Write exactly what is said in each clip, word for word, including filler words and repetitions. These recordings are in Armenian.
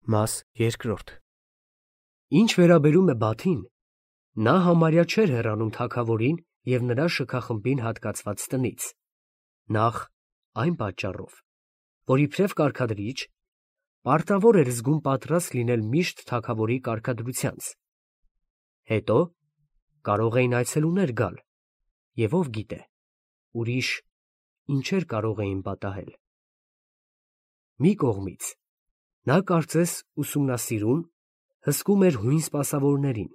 Մաս երկրորդ Ինչ վերաբերում է Բաթին, նա համարյա չէր հեռանում թագավորին և նրա շքախմբին հատկացված տնից, նախ այն պատճառով, որ իբրև կարգադրիչ պարտավոր էր զգում պատրաստ լինել միշտ թագավորի կարգադրությանց, հետո կարող էին այցելուներ գալ, և ով գիտե, ուրիշ ինչեր կարող էին պատահել։ Մի կողմից նա կարծես ուսումնասիրում, հսկում էր հույն սպասավորներին,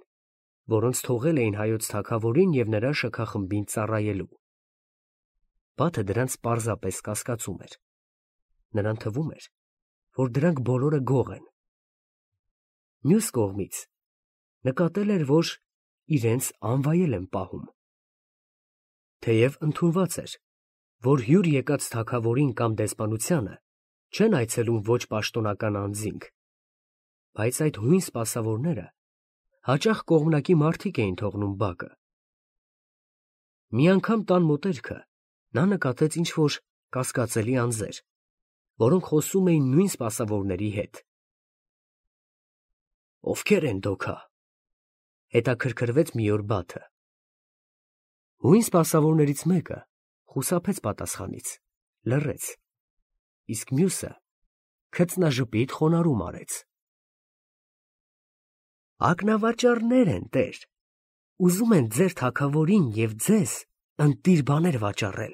որոնց թողել էին հայոց թագավորին և նրա շքախմբին ծառայելու։ Բաթը դրանց պարզապես կասկածում էր. նրան թվում էր, որ դրանք բոլորը գող են։ Մյուս կողմից նկատել էր, որ իրենց անվայել են պահում։ Թեև ընդունված էր, որ հյուր եկած թագավորին կամ դեսպանությանը չեն այցելում ոչ պաշտոնական անձինք, բայց այդ հույն սպասավորները հաճախ կողմնակի մարդիկ էին թողնում բակը։ Մի անգամ տան մոտերքը նա նկատեց ինչ-որ կասկածելի անձեր, որոնք խոսում էին նույն սպասավորների հետ։ «Ովքե՞ր են դոքա», հետաքրքրվեց մի օր Բաթը։ Հույն սպասավորներից մեկը խուսափեց պատասխանից, լռեց, իսկ մյուսը քծնաժպիտ խոնարհում արեց։ «Ակնավաճառներ են, տեր, ուզում են ձեր թագավորին և ձեզ ընտիր բաներ վաճառել,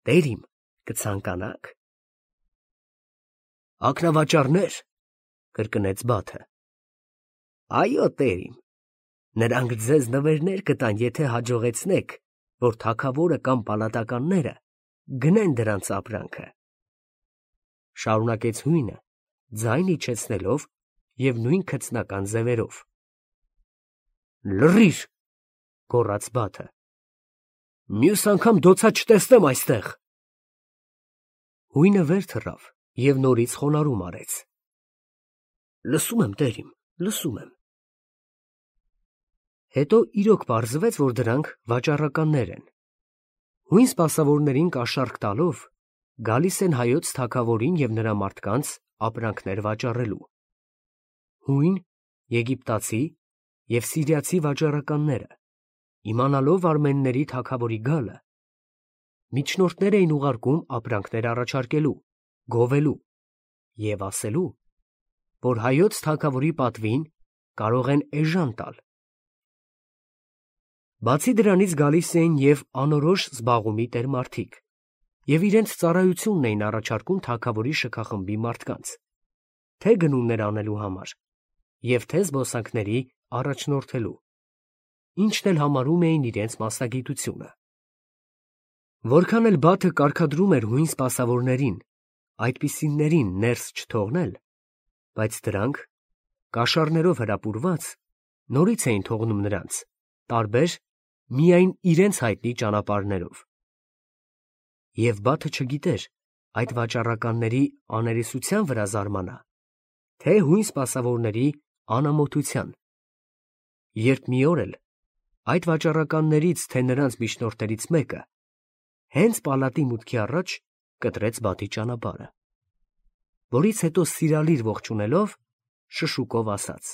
տեր իմ, կցանկանա՞ք»։ «Ակնավաճառնե՞ր», կրկնեց Բաթը։ «Այո, տեր իմ, նրանք ձեզ նվերներ կտան, եթե հաջողեցնեք, որ թագավորը կամ պալատականները գնեն դրանց ապրանքը», շարունակեց հույնը, ձայն իջեցնելով և նույն քծնական ձևերով։ «Լռի՛ր», գոռաց Բաթը, «մյուս անգամ դոցա չտեսնեմ այստեղ»։ Հույնը վեր թռավ և նորից խոնարհում արեց։ «Լսում եմ, տեր իմ, լսում եմ»։ Հետո իրոք պարզվեց, որ դրանք վաճառականներ են։ Հույն սպասավորներին կաշառք տալով գալիս են հայոց թագավորին և նրա մարդկանց ապրանքներ վաճառելու։ Հույն, եգիպտացի և սիրիացի վաճառականները, իմանալով արմենների թագավորի գալը, միջնորդներ էին ուղարկում ապրանքներ առաջարկելու, գովելու և ասելու, որ հայոց թագավորի պատվին կարող են էժան տալ։ Բացի դրանից գալիս էին և անորոշ զբաղումի տեր մարդիկ և իրենց ծառայությունն էին առաջարկում թագավորի շքախմբի մարդկանց, թե գնումներ անելու համար և թե զբոսանքների առաջնորդելու, ինչն էլ համարում էին իրենց մասնագիտությունը։ Որքան էլ Բաթը կարգադրում էր հույն սպասավորներին այդպիսիներին ներս չթողնել, բայց դրանք, կաշառներով հրապուրված, նորից էին թողնում նրանց, տարբեր, միայն իրենց հայտնի ճանապարհներով։ Եվ Բաթը չգիտեր այդ վաճառականների աներեսության վրա զարմանա, թե հույն սպասավորների անամոթության, երբ մի օր էլ այդ վաճառականներից, թե նրանց միջնորդներից մեկը հենց պալատի մուտքի առաջ կտրեց Բաթի ճանապարհը, որից հետո սիրալիր ողջունելով շշուկով ասաց.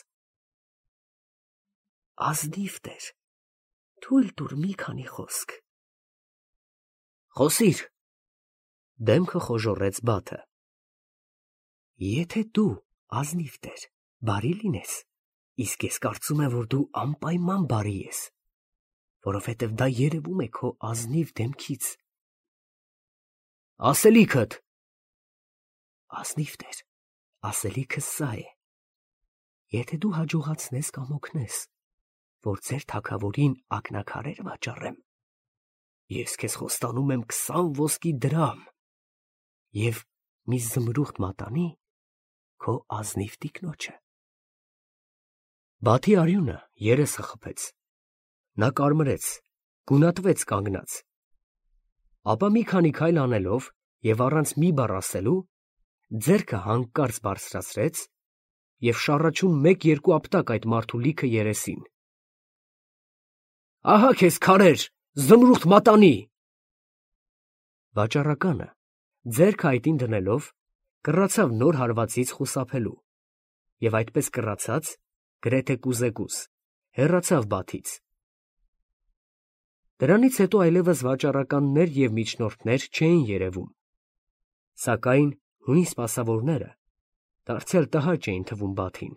«Ազնիվ տեր, թույլ տուր մի քանի խոսք»։ «Խոսիր», դեմքը խոժոռեց Բաթը։ «Եթե դու, ազնիվ տեր, բարի լինես, իսկ ես կարծում եմ, որ դու անպայման բարի ես, որովհետև դա երևում է քո ազնիվ դեմքից»։ «Ասելիքդ»։ «Ազնիվ տեր, ասելիքս սա է. եթե դու հաջողացնես կամ օգնես, որ ձեր թագավորին ակնաքարեր վաճառեմ, ես քեզ խոստանում եմ քսան ոսկի դրամ և մի զմրուխտ մատանի քո ազնիվ տիկնոջը»։ Բաթի արյունը երեսը խփեց, նա կարմրեց, գունատվեց կանգնած, ապա մի քանի քայլ անելով և առանց մի բառ ասելու, ձեռքը հանկարծ բարձրացրեց և շառաչուն մեկ֊երկու ապտակ այդ մարդու լիքը երեսին։ «Ահա քեզ քարեր, զմրուխտ մատանի»։ Վաճառականը, ձեռքը այտին դնելով, կռացավ նոր հարվածից խուսափելու, և այդպես կռացած, գրեթե կուզեկուզ, հեռացավ Բաթից։ Դրանից հետո այլևս վաճառականներ և միջնորդներ չէին երևում, սակայն հույն սպասավորները դարձյալ տհաճ էին թվում Բաթին։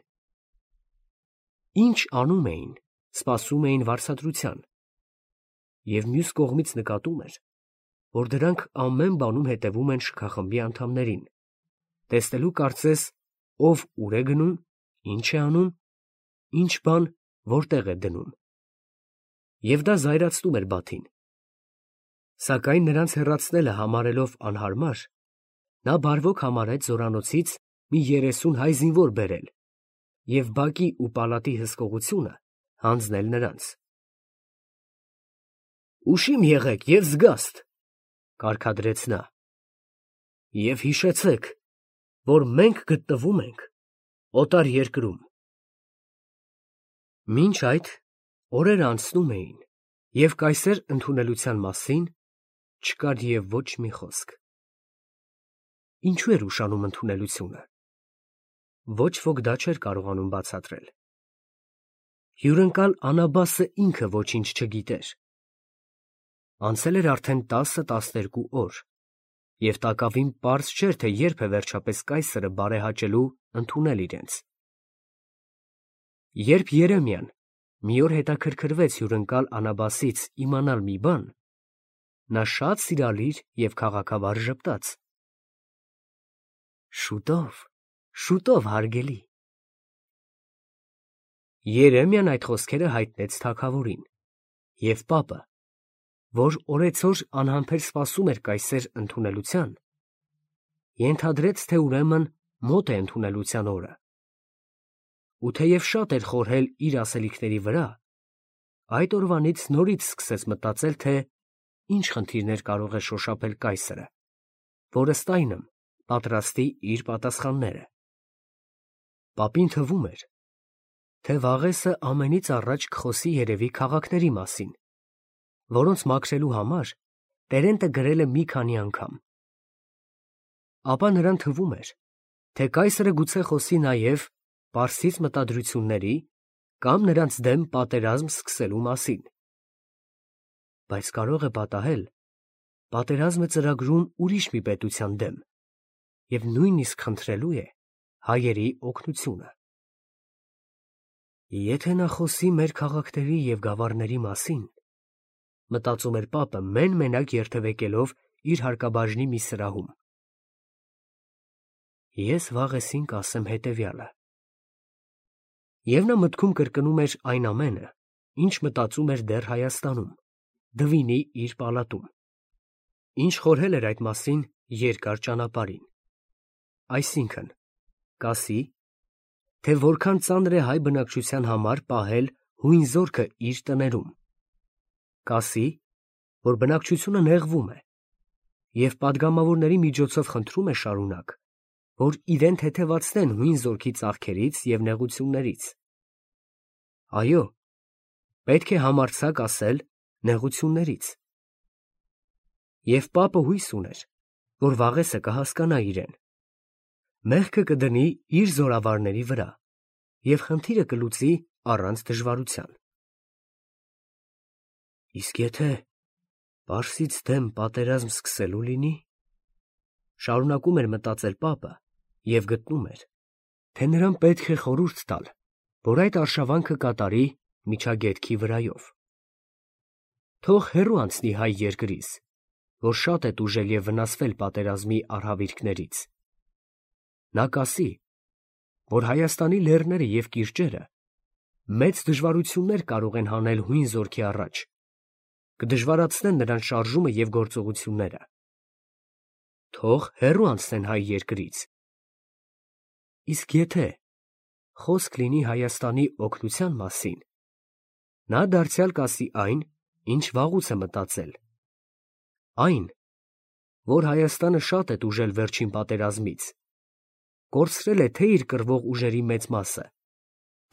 Ինչ անում էին, սպասում էին վարձատրության, և մյուս կողմից նկատում էր, որ դրանք ամեն բանում հետևում են շքախմբի անդամներին, տեսնելու կարծես ով ուր է գնում, ինչ է անում, ինչ բան որտեղ է դնում, և դա զայրացնում էր Բաթին։ Սակայն նրանց հեռացնելը համարելով անհարմար, նա բարվոք համարեց զորանոցից մի երեսուն հայ զինվոր բերել և բակի ու պալատի հսկողությունը հանձնել նրանց։ «Ուշիմ եղեք և զգաստ, ֊ կարգադրեց նա, ֊ և հիշեցեք, որ մենք գտնվում ենք օտար երկրում»։ Մինչ այդ օրերը անցնում էին, և կայսեր ընդունելության մասին չկար և ոչ մի խոսք։ Ինչու էր ուշանում ընդունելությունը։ Ոչ ոք դա չէր կարողանում բացատրել։ Հյուրընկալ Անաբասը ինքը ոչինչ չգիտեր։ Անցել էր արդեն տասը֊տասներկու օր, և տակավին պարզ չէր, թե երբ է վերջապես կայսրը բարեհաճելու ընդունել իրենց։ Երբ Երեմիան մի օր հետաքրքրվեց հյուրընկալ Անաբասից իմանալ մի բան, նա շատ սիրալիր և քաղաքավար ժպտաց. «Շուտով, շուտով, հարգելի»։ Երեմիան այդ խոսքերը հայտնեց թագավորին, և պապը, որ օրեցօր անհամբեր սպասում էր կայսեր ընդունելության, ենթադրեց, թե ուրեմն մոտ է ընդունելության օրը, ու թեև շատ էր խորհել իր ասելիքների վրա, այդ օրվանից նորից սկսեց մտածել, թե ինչ խնդիրներ կարող է շոշափել կայսրը, որ ըստ այնմ պատրաստի իր պատասխանները։ Պապին թվում էր, թե վաղեսը ամենից առաջ կխոսի երևի քաղաքների մասին, որոնց մաքրելու համար Տերենտը գրել է մի քանի անգամ։ Ապա նրան թվում էր, թե կայսրը գուցե խոսի նաև պարսից մտադրությունների կամ նրանց դեմ պատերազմ սկսելու մասին։ Բայց կարող է պատահել պատերազմը ծրագրում ուրիշ մի պետության դեմ և նույնիսկ խնդրելու է հայերի օգնությունը։ Եթե նա խոսի մեր քաղաքների և գավառների մասին, մտածում էր պապը մեն֊մենակ երթևեկելով իր հարկաբաժնի մի սրահում, ես վաղեսին կասեմ հետևյալը։ Եվ նա մտքում կրկնում էր այն ամենը, ինչ մտածում էր դեռ Հայաստանում, Դվինի իր պալատում, ինչ խորհել էր այդ մասին երկար ճանապարհին, այսինքն՝ կասի, թե որքան ծանր է հայ բնակչության համար պահել հույն զորքը իր տներում, կասի, որ բնակչությունը նեղվում է, և պատգամավորների միջոցով խնդրում է շարունակ, որ իրեն թեթևացնեն հույն զորքի ծախքերից և նեղություններից։ Այո, պետք է համարձակ ասել նեղություններից։ Եվ պապը հույս ուներ, որ վաղեսը կհասկանա իրեն, մեղքը կդնի իր զորավարների վրա և խնդիրը կլուծի առանց դժվարության։ Իսկ եթե պարսից դեմ պատերազմ սկսելու լինի, շարունակում էր մտածել պապը և գտնում էր, թե նրան պետք է խորհուրդ տալ, որ այդ արշավանքը կատարի միջագետքի վրայով։ Թող հեռու անցնի հայ երկրից, որ շատ է տուժել և վնասվել պատերազմի արհավիրքներից։ Նա կասի, որ Հայաստանի լեռները և կիրճերը մեծ դժվարություններ կարող են հանել հույն զորքի առաջ, կդժվարացնեն նրան շարժումը և գործողությունները։ Թող հեռու անցնեն հայ երկրից։ Իսկ եթե խոսք լինի Հայաստանի օգնության մասին, նա դարձյալ կասի այն, ինչ վաղուց է մտածել, այն, որ Հայաստանը շատ է տուժել վերջին պատերազմից, կորցրել է թե իր կռվող ուժերի մեծ մասը,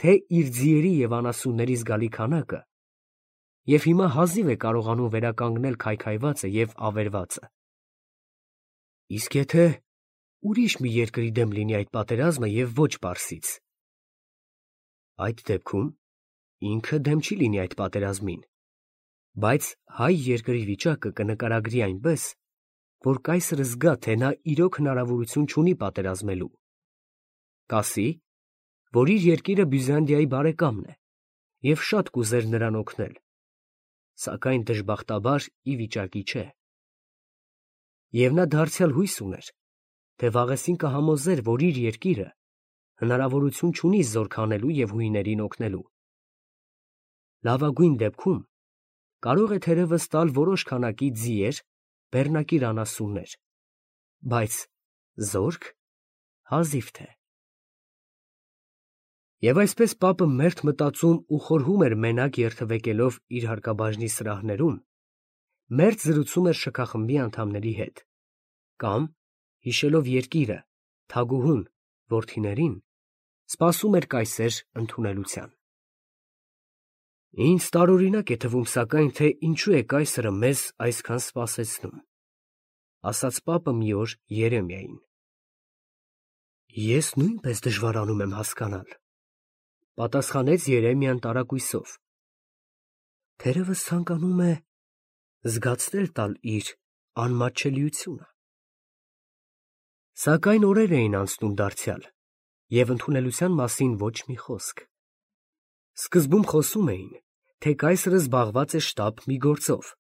թե իր ձիերի և անասունների զգալի քանակը, և հիմա հազիվ է կարողանում վերականգնել քայքայվածը և ավերվածը։ Իսկ եթե ուրիշ մի երկրի դեմ լինի այդ պատերազմը և ոչ պարսից, Այդ դեպքում ինքը դեմ չի լինի այդ պատերազմին, բայց հայ երկրի վիճակը կնկարագրի այնպես, որ կայսրը զգա, թե նա իրոք հնարավորություն չունի պատերազմելու։ Կասի, որ իր երկիրը Բյուզանդիայի բարեկամն է և շատ կուզեր նրան օգնել, սակայն դժբախտաբար ի վիճակի չէ։ Եվ նա դարձյալ հույս ուներ, թե վաղեսին կհամոզեր, որ իր երկիրը հնարավորություն չունի զորք հանելու և հույներին օգնելու։ Լավագույն դեպքում կարող է թերևս տալ որոշ քանակի ձիեր, բեռնակիր անասուններ, բայց զորք հազիվ թե։ Եվ այսպես պապը մերթ մտածում ու խորհում էր մենակ երթևեկելով իր հարկաբաժնի սրահներում, մերթ զրուցում էր շքախմբի անդամների հետ, կամ, հիշելով երկիրը, թագուհուն, որդիներին, սպասում էր կայսեր ընդունելության։ Ինձ տարօրինակ է թվում, սակայն, թե ինչու է կայսրը մեզ այսքան սպասեցնում, ասաց պապը մի օր Երեմիային։ Ես նույնպես դժվարանում եմ հասկանալ, պատասխանեց Երեմիան տարակույսով։ Թերևս ցանկանում է զգացնել տալ իր անմատչելիությունը։ Սակայն օրեր էին անցնում դարձյալ, և ընդունելության մասին ոչ մի խոսք։ Սկզբում խոսում էին, թե կայսրը զբաղված է շտապ մի գործով,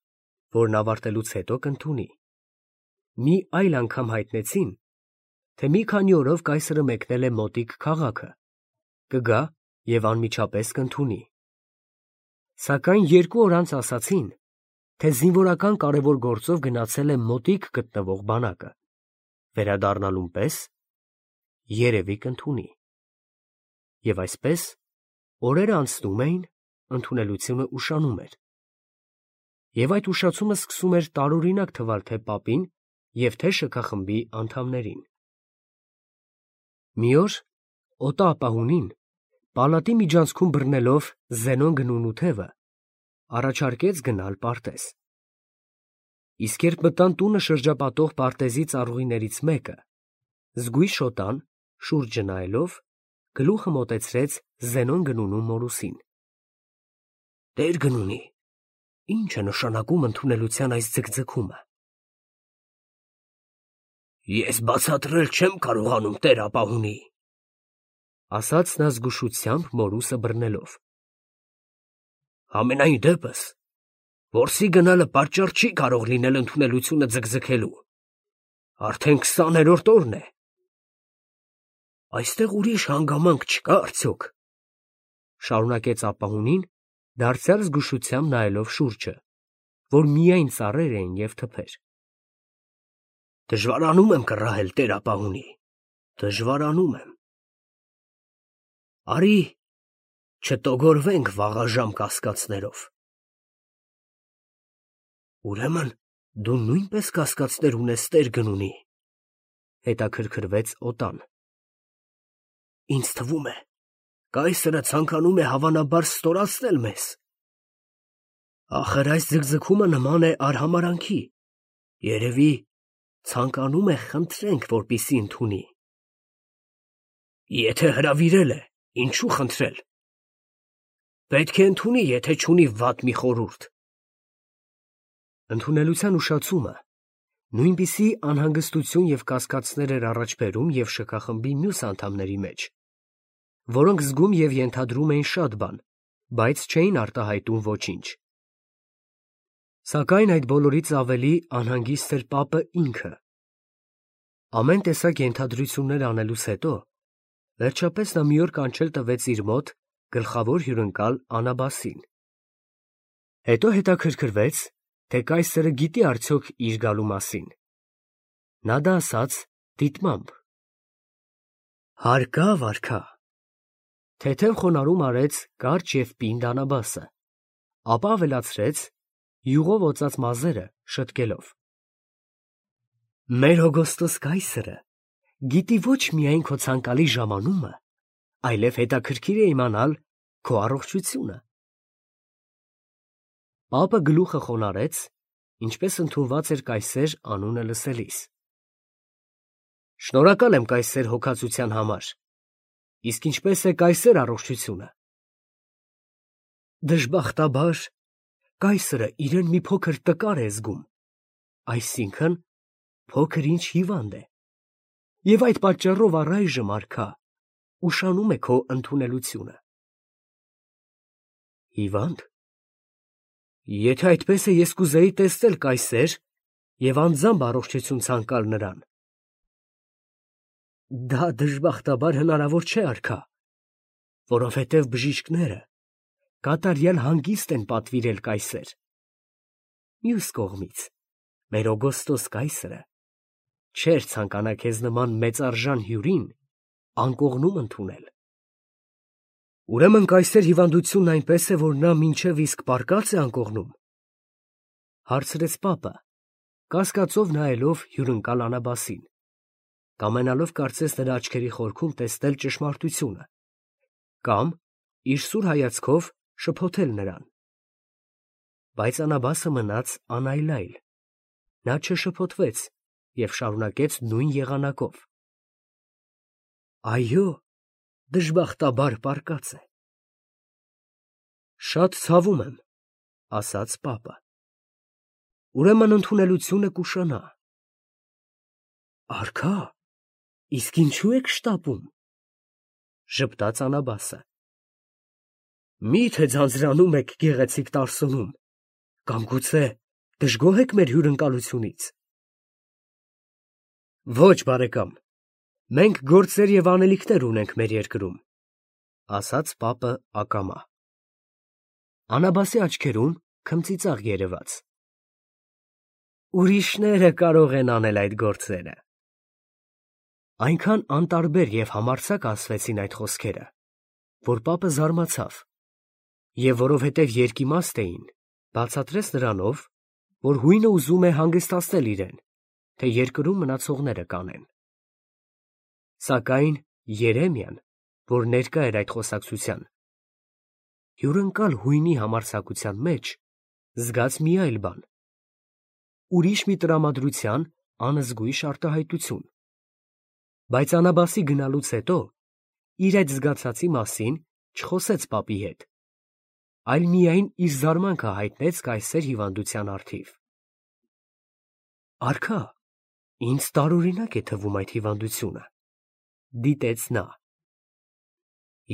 որն ավարտելուց հետո կընդունի։ Մի այլ անգամ հայտնեցին, թե մի քանի օրով կայսրը մեկնել է մոտիկ քաղաքը, կգա և անմիջապես կընդունի։ Սակայն երկու օր անց ասացին, թե զինվորական կարևոր գործով գնացել է մոտիկ գտնվող բանակը, վերադառնալուն պես երևի կընդունի։ Եվ այսպես օրերը անցնում էին, ընդունելությունը ուշանում էր։ Եվ այդ ուշացումը սկսում էր տարօրինակ թվալ թե պապին և թե շքախմբի անդամներին։ Մի օր օտա ապահունին, պալատի միջանցքում բռնելով Զենոն գնունու թևը, առաջարկեց գնալ պարտեզ։ Իսկ երբ մտան տունը շրջապատող պարտեզի ծառուղիներից մեկը, զգույշ օտան, շուրջը նայելով, գլուխը մոտեցրեց Զենոն գնունու մորուսին։ Տեր գնունի, ի՞նչ է նշանակում ընդունելության այս ձգձգումը։ Ես բացատրել չեմ կարողանում, տեր ապահունի, ասաց նա զգուշությամբ մորուսը բռնելով։ Համենայն դեպս, որսի գնալը պատճառ չի կարող լինել ընդունելությունը ձգձգելու։ Արդեն քսաներորդ օրն է։ Այստեղ ուրիշ հանգամանք չկա արդյոք, շարունակեց ապահունին, դարձյալ զգուշությամբ նայելով շուրջը, որ միայն ծառեր էին և թփեր։ Դժվարանում եմ կռահել, տեր ապահունի, դժվարանում եմ։ Արի չտոգորվենք վաղաժամ կասկածներով։ Ուրեմն դու նույնպես կասկածներ ունես, տեր գնունի, հետաքրքրվեց օտան։ Ինձ թվում է, կայսրը ցանկանում է հավանաբար ստորացնել մեզ։ Ախր այս ձգձգումը նման է արհամարանքի, երևի ցանկանում է խնդրենք, որպեսզի ընդունի։ Եթե հրավիրել է, ինչու խնդրել։ Պետք է ընդունի, եթե չունի վատ մի խորհուրդ։ Ընդունելության ուշացումը նույնպիսի անհանգստություն և կասկածներ էր առաջ բերում և շքախմբի մյուս անդամների մեջ, որոնք զգում և ենթադրում էին շատ բան, բայց չէին արտահայտում ոչինչ։ Սակայն այդ բոլորից ավելի անհանգիստ էր պապը ինքը։ Ամեն տեսակ ենթադրություններ անելուց հետո, վերջապես նա մի օր կանչել տվեց իր մոտ գլխավոր հյուրընկալ Անաբասին։ Հետո հետաքրքրվեց, թե կայսրը գիտի արդյոք իր գալու մասին։ Նա դա ասաց դիտմամբ։ Հարկա, վարքա։ Թեթև խոնարհում արեց կարճ և պինդ Անաբասը, ապա ավելացրեց, յուղով օծած մազերը շտկելով. Մեր հոգոստոս կայսրը գիտի ոչ միայն քո ցանկալի ժամանումը, այլև հետաքրքիր է իմանալ քո առողջությունը։ Պապը գլուխը խոնարհեց, ինչպես ընդունված էր կայսեր անունը լսելիս։ Շնորհակալ եմ, կայսեր, հոգացության համար, իսկ ինչպես է կայսեր առողջությունը, Դժբախտաբար, կայսրը իրեն մի փոքր տկար է զգում, այսինքն փոքր ինչ հիվանդ է, և այդ պատճառով առայժմ, արքա, ուշանում է քո ընդունելությունը։ Հիվա՞նդ։ Եթե այդպես է, ես կուզեի տեսնել կայսեր և անձամբ առողջություն ցանկալ նրան։ Դա դժբախտաբար հնարավոր չէ, արքա, որովհետև բժիշկները կատարյալ հանգիստ են պատվիրել կայսեր։ Մյուս կողմից, մեր Օգոստոս կայսրը չէր ցանկանա քեզ նման մեծարժան հյուրին անկողնում ընդունել։ Ուրեմն կայսեր հիվանդությունն այնպես է, որ նա մինչև իսկ պառկած է անկողնում, հարցրեց պապը, կասկածով նայելով հյուրընկալ Անաբասին, կամենալով կարծես նրա աչքերի խորքում տեսնել ճշմարտությունը, կամ իր սուր հայացքով շփոթել նրան։ Բայց Անաբասը մնաց անայլայլ, նա չշփոթվեց և շարունակեց նույն եղանակով. Այո, դժբախտաբար պառկած է։ Շատ ցավում եմ, ասաց պապը, ուրեմն ընդունելությունը կուշանա։ Արքա, իսկ ինչու եք շտապում, ժպտաց Անաբասը։ Մի՞թե ձանձրանում եք գեղեցիկ Տարսոնում, կամ գուցե դժգոհ եք մեր հյուրընկալությունից։ Ոչ, բարեկամ, մենք գործեր և անելիքներ ունենք մեր երկրում, ասաց պապը ակամա։ Անաբասի աչքերում քմծիծաղ երևաց։ Ուրիշները կարող են անել այդ գործերը։ Այնքան անտարբեր և համարձակ ասվեցին այդ խոսքերը, որ պապը զարմացավ, և որովհետև երկիմաստ էին, բացատրեց նրանով, որ հույնը ուզում է հանգստացնել իրեն, թե երկրում մնացողները կանեն։ Սակայն Երեմիան, որ ներկա էր այդ խոսակցության, հյուրընկալ հույնի համարձակության մեջ զգաց մի այլ բան, ուրիշ մի տրամադրության անզգույշ արտահայտություն, բայց Անաբասի գնալուց հետո իր այդ զգացածի մասին չխոսեց պապի հետ, այլ միայն իր զարմանքը հայտնեց կայսեր հիվանդության առթիվ։ Արքա, ինձ տարօրինակ է թվում այդ հիվանդությունը, դիտեց նա։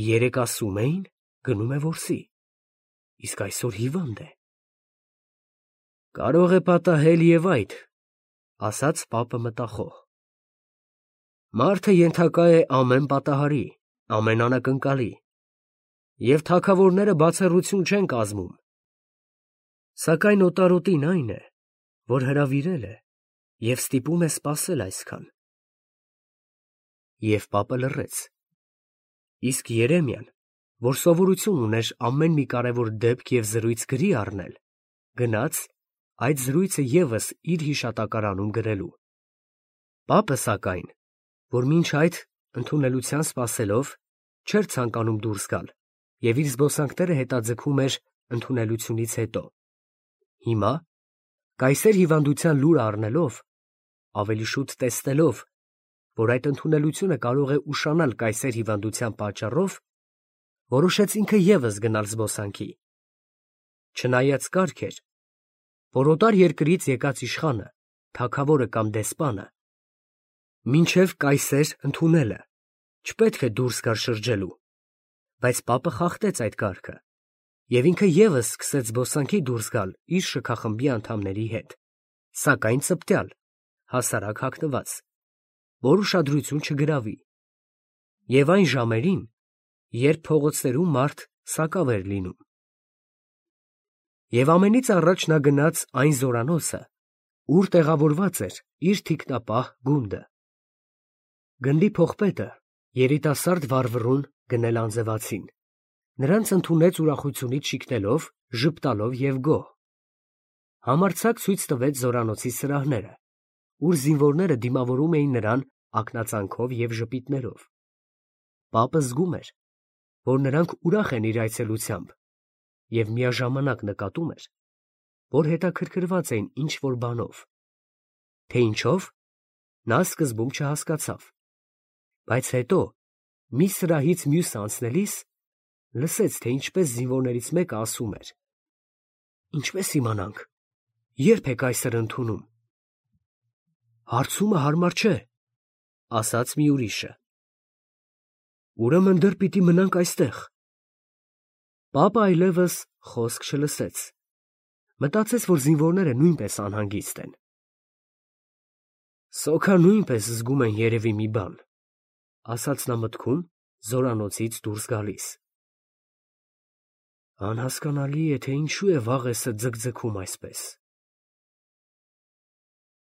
Երեկ ասում էին, գնում է որսի, իսկ այսօր հիվանդ է։ Կարող է պատահել և այդ, ասաց պապը մտախոհ։ Մարդը ենթակա է ամեն պատահարի, ամեն անակնկալի, և թագավորները բացառություն չեն կազմում։ Սակայն օտարոտին այն է, որ հրավիրել է և ստիպում է սպասել այսքան։ Եվ պապը լռեց, իսկ Երեմիան, որ սովորություն ուներ ամեն մի կարևոր դեպք և զրույց գրի առնել, գնաց այդ զրույցը ևս իր հիշատակարանում գրելու։ Պապը, սակայն, որ մինչ այդ ընդունելության սպասելով չէր ցանկանում դուրս գալ և իր զբոսանքները հետաձգում էր ընդունելությունից հետո, հիմա, կայսեր հիվանդության լուրը առնելով, ավելի շուտ տեսնելով, որ այդ ընդունելությունը կարող է ուշանալ կայսեր հիվանդության պատճառով, որոշեց ինքը ևս գնալ զբոսանքի։ Չնայած կարգ էր, որ օտար երկրից եկած իշխանը, թագավորը կամ դեսպանը մինչև կայսեր ընդունելը չպետք է դուրս գար շրջելու, բայց պապը խախտեց այդ կարգը, և ինքը ևս սկսեց զբոսանքի դուրս գալ իր շքախմբի անդամների հետ, սակայն ծպտյալ, հասարակ հագնված, որ ուշադրություն չգրավի, և այն ժամերին, երբ փողոցներում մարդ սակավ էր լինում։ Եվ ամենից առաջ նա գնաց այն զորանոցը, ուր տեղավորված էր իր թիկնապահ գունդը։ Գնդի փողպետը, երիտասարդ վառվռուն գնել անձևացին, նրանց ընդունեց ուրախությունից շիկնելով, ժպտալով և գոհ։ Համարձակ ցույց տվեց զորանոցի սրահները, ուր զինվորները դիմավորում էին նրան ակնածանքով և ժպիտներով։ Պապը զգում էր, որ նրանք ուրախ են իր այցելությամբ, և միաժամանակ նկատում էր, որ հետաքրքրված էին ինչ֊որ բանով, թե ինչով, նա սկզբում չհասկացավ, բայց հետո, մի սրահից մյուսը անցնելիս, լսեց, թե ինչպես զինվորներից մեկը ասում էր. «Ինչպես իմանանք, երբ եք այսօր ընդունում»։ «Հարցումը հարմար չէ», ասաց մի ուրիշը։ «Ուրեմն դեռ պիտի մնանք այստեղ»։ Պապը այլևս խոսք չլսեց, մտածեց, որ զինվորները նույնպես անհանգիստ են։ «Սոքա նույնպես զգում են երևի մի բան», ասաց նա մտքում, զորանոցից դուրս գալիս։ «Անհասկանալի է, թե ինչու է Վաղեսը ձգձգում այսպես»։